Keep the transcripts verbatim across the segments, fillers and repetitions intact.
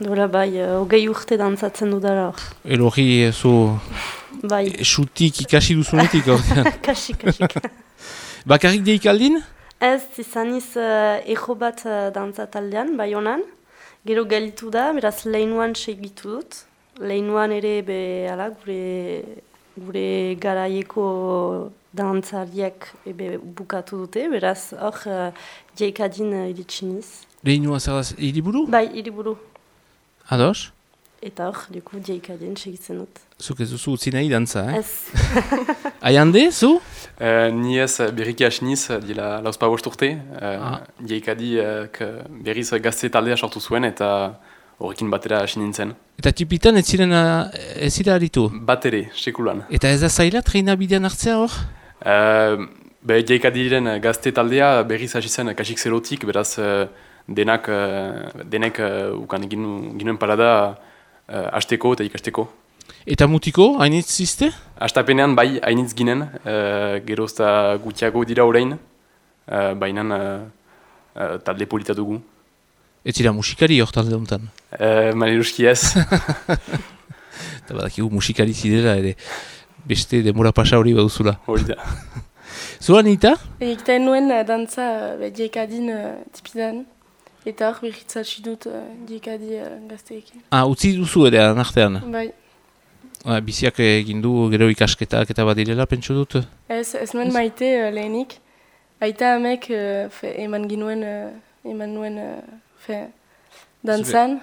Dola bai, hogei urte dantzatzen dudara hor. Elorri zu Bai. xutik ikasi duzunetik ordean. Kasik, kasik. Bakarrik deikaldin? Ez, izaniz uh, ejo bat uh, dantzataldean, bai honan. Gero gelitu da, beraz lehinuan segitu dut. Lehinuan ere be, ala, gure, gure garaieko dantzariak ebe bukatu dute, beraz hor uh, jeikadin uh, iritsiniz. Lehinu azaraz hiriburu? Bai, hiriburu. Ados? Eta hor, duku jeikadin segitzen dut. Zuk ez duzu utzi nahi dantza, eh? Ez. Aiande, zu? Uh, ni ez berriki asiniz, dila lauzpa bost urte. Uh, ah. Jeikadi uh, berriz gazte taldea sortu zuen eta horrekin batera asin nintzen. Eta tipitan ez ziren ez zira aritu? Bat ere, sekulan. Eta ez da zaila treina bidean hartzea hor? Uh, be, Jeikadiren gazte taldea berriz hasi zen kasik zerotik, beraz uh, denak, uh, denek uh, ukan ginu, ginuen parada uh, hasteko eta ikasteko. Eta mutiko, hainitz ziste? Astapenean bai, hainitz ginen, uh, gerozta gutiago dira orain, uh, baina uh, uh, talde polita dugu. Ez zira musikari hor talde honetan? Uh, Maleruski ez. Eta badakigu musikari zidera ere, beste demora pasa hori baduzula. Hori da. Zua nita? Egiten nuen uh, dantza uh, jeikadin uh, tipidan, eta hor berritzatsi dut uh, jeikadi uh, gazteekin. Ah, utzi duzu ere anartean? Bai. Ah, biziak egin du gero ikasketak eta badirela, pentsu dut? Ez, ez nuen maite uh, lehenik. Aita amek uh, fe, eman ginuen, uh, eman nuen uh, fe, dantzan.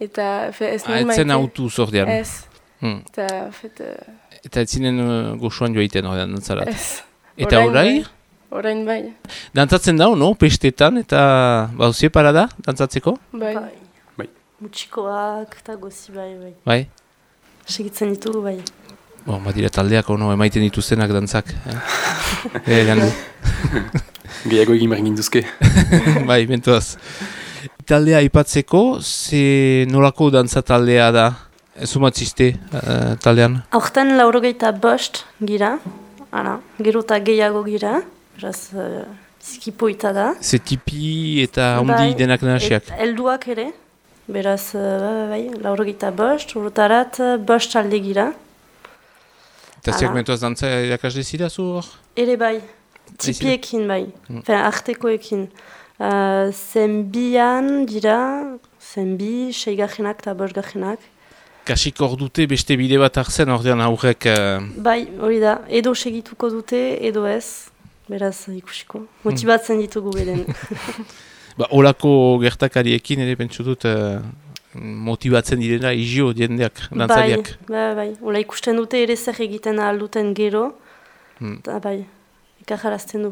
Eta fe, ez nuen ah, maite. Etzen autu zordean? Ez. Hmm. Eta, fet, uh, eta ez zinen uh, goxuan joaiten horrean dantzarat? Ez. Eta orai? Orain bai. Dantzatzen dau, no? Pestetan eta bauzie parada dantzatzeko? Bai. Bai. Mutxikoak eta gozi bai, bai. Bai? Segitzen ditugu bai. Bon, badira taldeak ono emaiten dituztenak dantzak. Eh? Egan du. Gehiago egin behar ginduzke. Bai, mentuaz. Taldea aipatzeko, ze nolako dantza taldea da? Zumatziste uh, taldean? Aurten laurogeita bost gira, ara, gero eta gehiago gira, beraz uh, bizkipoita da. Ze tipi eta ondi Bai, denak nahasiak? et helduak ere, beraz, uh, bai, laurogeita bost, urtarat bost talde gira. Eta ziak Hala. mentuaz dantza irakasle zira zu hor? Ere bai, tipiekin bai, Mm. Fen, artekoekin. Uh, zenbian dira, zenbi, seigarrenak eta bosgarrenak. Kasik hor dute beste bide bat hartzen ordean aurrek... Uh... Bai, hori da, edo segituko dute, edo ez, beraz ikusiko. Motibatzen ditugu beren. Ba, olako gertakariekin ere pentsu dut uh, motibatzen direna izio diendeak, dantzariak. Bai, bai, bai. Ola ikusten dute ere zer egiten ahalduten gero, Hmm. eta bai, ikajarazten du.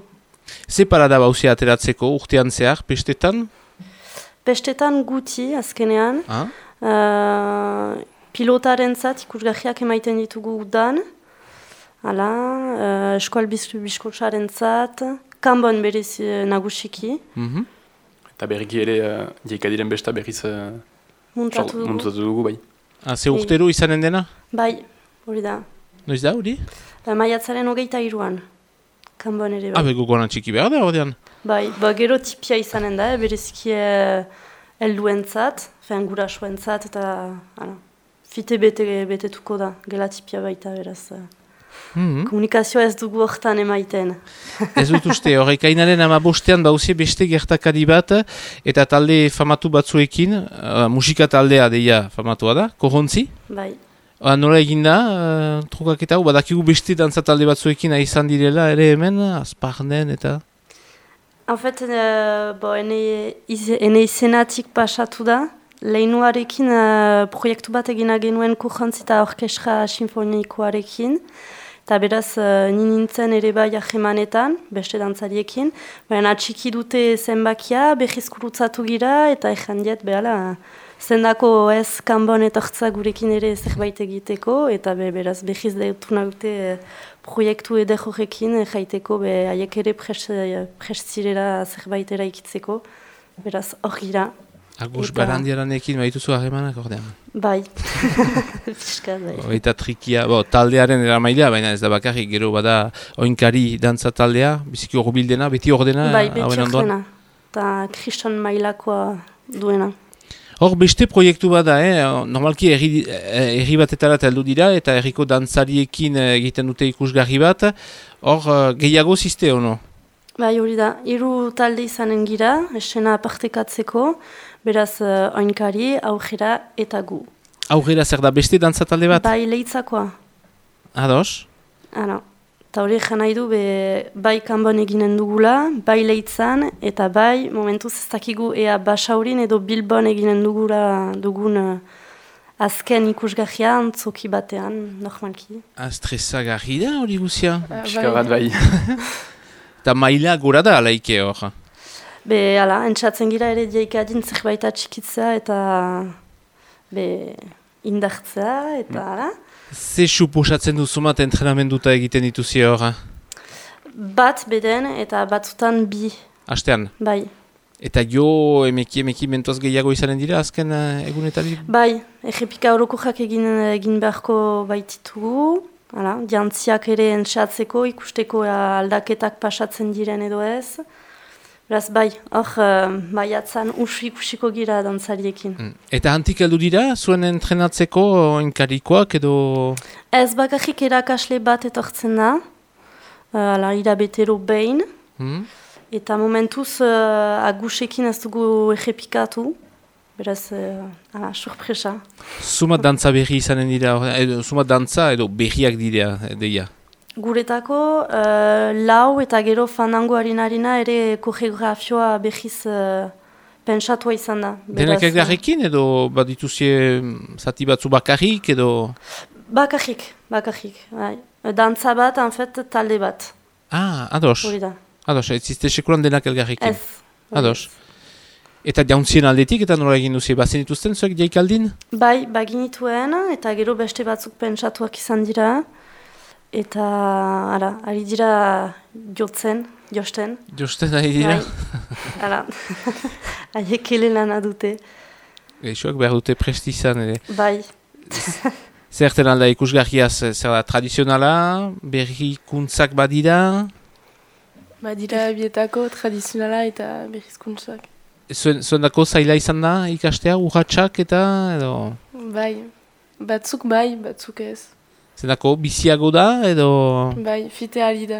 Ze parada bauzia ateratzeko urtean zehar, pestetan? Pestetan guti, azkenean, Ah? uh, pilotaren zat ikusgahiak emaiten ditugu udan, hala, uh, eskual biskotsaren zat, kanbon berez uh, nagusiki, Mhm. Eta berriki ere uh, jeikadiren besta berriz uh, muntatu dugu. muntatu dugu bai. Ah, ze urtero izanen dena? Bai, hori da. Noiz da, hori? Uh, maiatzaren hogeita iruan, kanbon ere bai. Ah, bego goran txiki behar da, ordean. Bai, ba, gero tipia izanen da, bereziki uh, helduentzat, fen gurasoentzat, eta hala, fite bete, betetuko da, gela tipia baita beraz. Uh, Mhm. komunikazioa ez dugu hortan emaiten. Ez dut uste, horrekainaren ama bostean bauzie beste gertakari bat, eta talde famatu batzuekin, uh, musika taldea deia famatua da, korrontzi. Bai. Uh, nola eginda, uh, trukaketa hau, badakigu beste dantza talde batzuekin izan direla ere hemen, azparnen eta... En fait, uh, bo, ene, iz, ene izenatik pasatu da, lehinuarekin uh, proiektu bat egina genuen korrontzi eta orkestra sinfonikoarekin, eta beraz, uh, ni nintzen ere bai ahemanetan, beste dantzariekin, baina atxiki dute zenbakia, behiz kurutzatu gira, eta ezan diet, behala, zendako ez kanbon etortza gurekin ere zerbait egiteko, eta be, beraz, behiz deutu nagute uh, proiektu eder horrekin, jaiteko, be, haiek ere prestzirera zerbait eraikitzeko, beraz, hor gira. Agus Eta- barandiaranekin baituzu harremanak ordean. Bai, fiskat, bai. Eta trikia, bo, taldearen eramailea, baina ez da bakarrik, gero bada oinkari dantza taldea, biziki horbildena, beti ordena, Bai, beti hauen ondoan. horrena, eta kriston mailakoa duena. Hor beste proiektu bat da, eh? Normalki herri, herri batetara heldu dira eta herriko dantzariekin egiten dute ikusgarri bat. Hor gehiago ziste hono? Bai, hori da, hiru talde izanen gira, esena partekatzeko, beraz uh, oinkari, aurrera eta gu. Aurrera zer da, beste dantza talde bat? Bai, leitzakoa. Ados? Ano, eta hori egin nahi du, be, bai kanbon eginen dugula, bai leitzan, eta bai, momentuz ez dakigu ea Basaurin edo Bilbon eginen dugula dugun uh, azken ikusgarria antzoki batean, normalki. Astrezagarri da hori guzia? Uh, Pixka bat bai. Eta maila gora da alaike hor? Be, ala, entzatzen gira ere diaikadin zerbait atxikitzea eta be, indartzea, eta ala. Ze suposatzen duzumat entrenamenduta egiten dituzi hor? Bat beden eta batzutan bi. Astean? Bai. Eta jo emeki emeki mentoz gehiago izanen dira azken uh, egunetari? Bai, errepika orokorrak egin, egin beharko baititugu. Hala, jantziak ere entzatzeko, ikusteko aldaketak pasatzen diren edo ez. Beraz, bai, hor, uh, baiatzan usu ikusiko gira dantzariekin. Mm. Eta hantik heldu dira, zuen entrenatzeko enkarikoak edo... Ez bakarrik erakasle bat etortzen da, uh, irabetero behin, Mm. eta momentuz uh, agusekin ez dugu errepikatu. Beraz, uh, ala, surpresa. Zumat dantza berri izanen dira, edo zumat dantza edo berriak dira, deia? Guretako, uh, lau eta gero fandango harina ere koreografioa behiz uh, pentsatua izan da. Denak elgarrekin edo badituzie zati batzu bakarrik edo... Bakarrik, bakarrik. Bai. Dantza bat, en fait, talde bat. Ah, ados. Hori da. Ados, ez ziste sekulan denak elgarrekin. Ez. Ados. Eta jauntzien aldetik eta nola egin duzie, bazen dituzten zuek jaikaldin? Bai, baginituen, eta gero beste batzuk pentsatuak izan dira. Eta, ara, ari dira jotzen, josten. Josten ari dira? Bai, ara, haiek ele lana dute. Eixoak behar dute prestizan ere. Bai. Zerten alda ikusgarriaz, zer da, tradizionala, berrikuntzak badira? Badira bietako tradizionala eta berrizkuntzak. Zuen, zuen dako zaila izan da ikastea, urratxak eta edo... Bai, batzuk bai, batzuk ez. Zendako biziago da edo... Bai, fite ari da.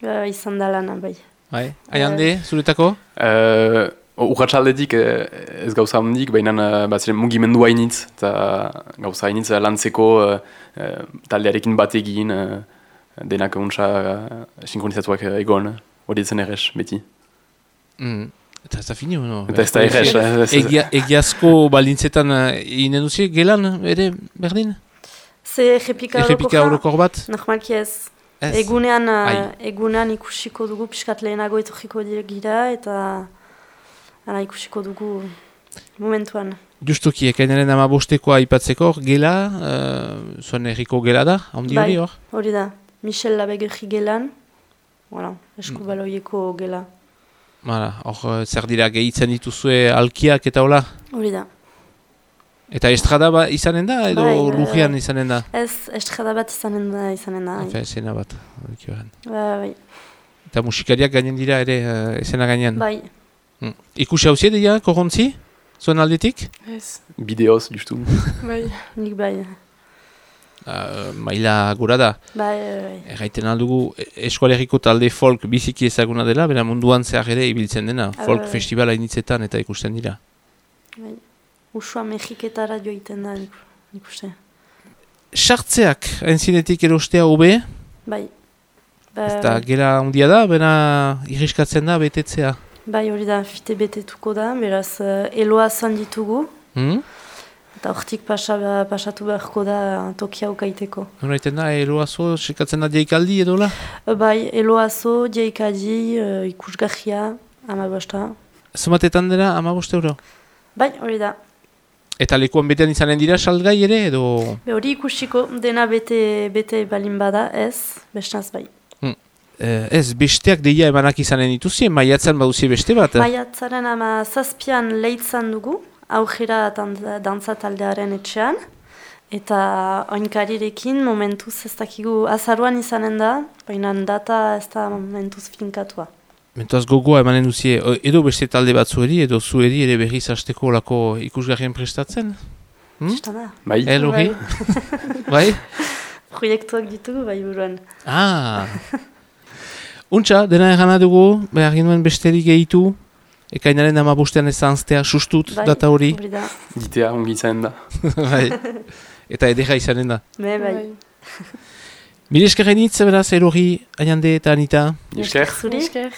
Ba, izan da lana, bai. Bai, aiande, zuretako? Uh, Urratxaldetik ez gauza handik, baina uh, baziren mugimendu hainitz, eta gauza hainitz uh, lantzeko uh, uh, taldearekin bat egin, uh, denak untsa uh, sinkronizatuak uh, egon, hori etzen errez, beti. Mm. Eta ez da fini, no? Eta ez da errez. Egia, egiazko balintzetan egin uh, duzi, gelan, ere, berdin? Ze errepika Errepika orokor bat? Normalki ez. Ez. Egunean, Ai. uh, egunean ikusiko dugu, piskat lehenago etorriko gira, eta ara, ikusiko dugu momentuan. Justuki, ekainaren ama bostekoa aipatzeko, gela, uh, zuen erriko gela da, handi hori hor? Hori da, Michel Labegerri gelan, voilà, eskubaloieko gela. Hala, hor zer dira gehitzen dituzue alkiak eta hola? Hori da. Eta estrada ba izanen da edo Bai, lujian izanen da? Ez, estrada bat izanen da, izanen da. Efe, esena bat. Ba, bai. Eta musikariak gainen dira ere uh, esena gainean? Bai. Hmm. Ikusi hauzie dira, korrontzi? Zuen aldetik? Ez. Bideoz, justu. Bai. Nik bai. Uh, maila gura da. Bai, bai. Erraiten aldugu eskualeriko talde folk biziki ezaguna dela, bera munduan zehar ere ibiltzen dena. Ah, folk bai. festivala initzetan eta ikusten dira. Bai. Usua Mexiketara joiten da, nik, nik uste. Sartzeak, entzinetik erostea hobe, Bai. Ba, eta gera handia da, bera irriskatzen da betetzea. bai, hori da, fite betetuko da, beraz, uh, eloa zan ditugu, Hmm? eta hortik pasa, pasatu beharko da tokia ukaiteko. Horaiten da, eroazo, sekatzen da deikaldi edo la? Uh, bai, eloazo, jeikadi, uh, ikusgarria, amabosta. Zumatetan dira, amabost euro? Bai, hori da. Eta lekuan betean izanen dira salgai ere edo... Be hori ikusiko dena bete, bete balin bada, ez, bestaz bai. Hmm. Eh, ez, besteak deia emanak izanen dituzien, maiatzen baduzie beste bat? Maiatzaren ama zazpian leitzan dugu, aurrera dantza taldearen etxean, eta oinkarirekin momentuz ez dakigu azaruan izanen da, baina data ez da momentuz finkatua. Mentoaz gogoa emanen duzie, edo beste talde batzueri, edo zueri ere berriz hasteko lako ikusgarrien prestatzen? Hmm? Bai. El hori? Bai? Proiektuak ditugu, bai buruan. Ah! Untxa, dena erana dugu, behar ginuen besterik gehitu, ekainaren amabostean ez zanztea sustut bai, data hori. Gitea ongitzen da. Bai. Eta edera izanen da. Me, bai. Mire eskerrenitz, beraz, erori, Aiande eta Anita. Esker. Zuri? Esker.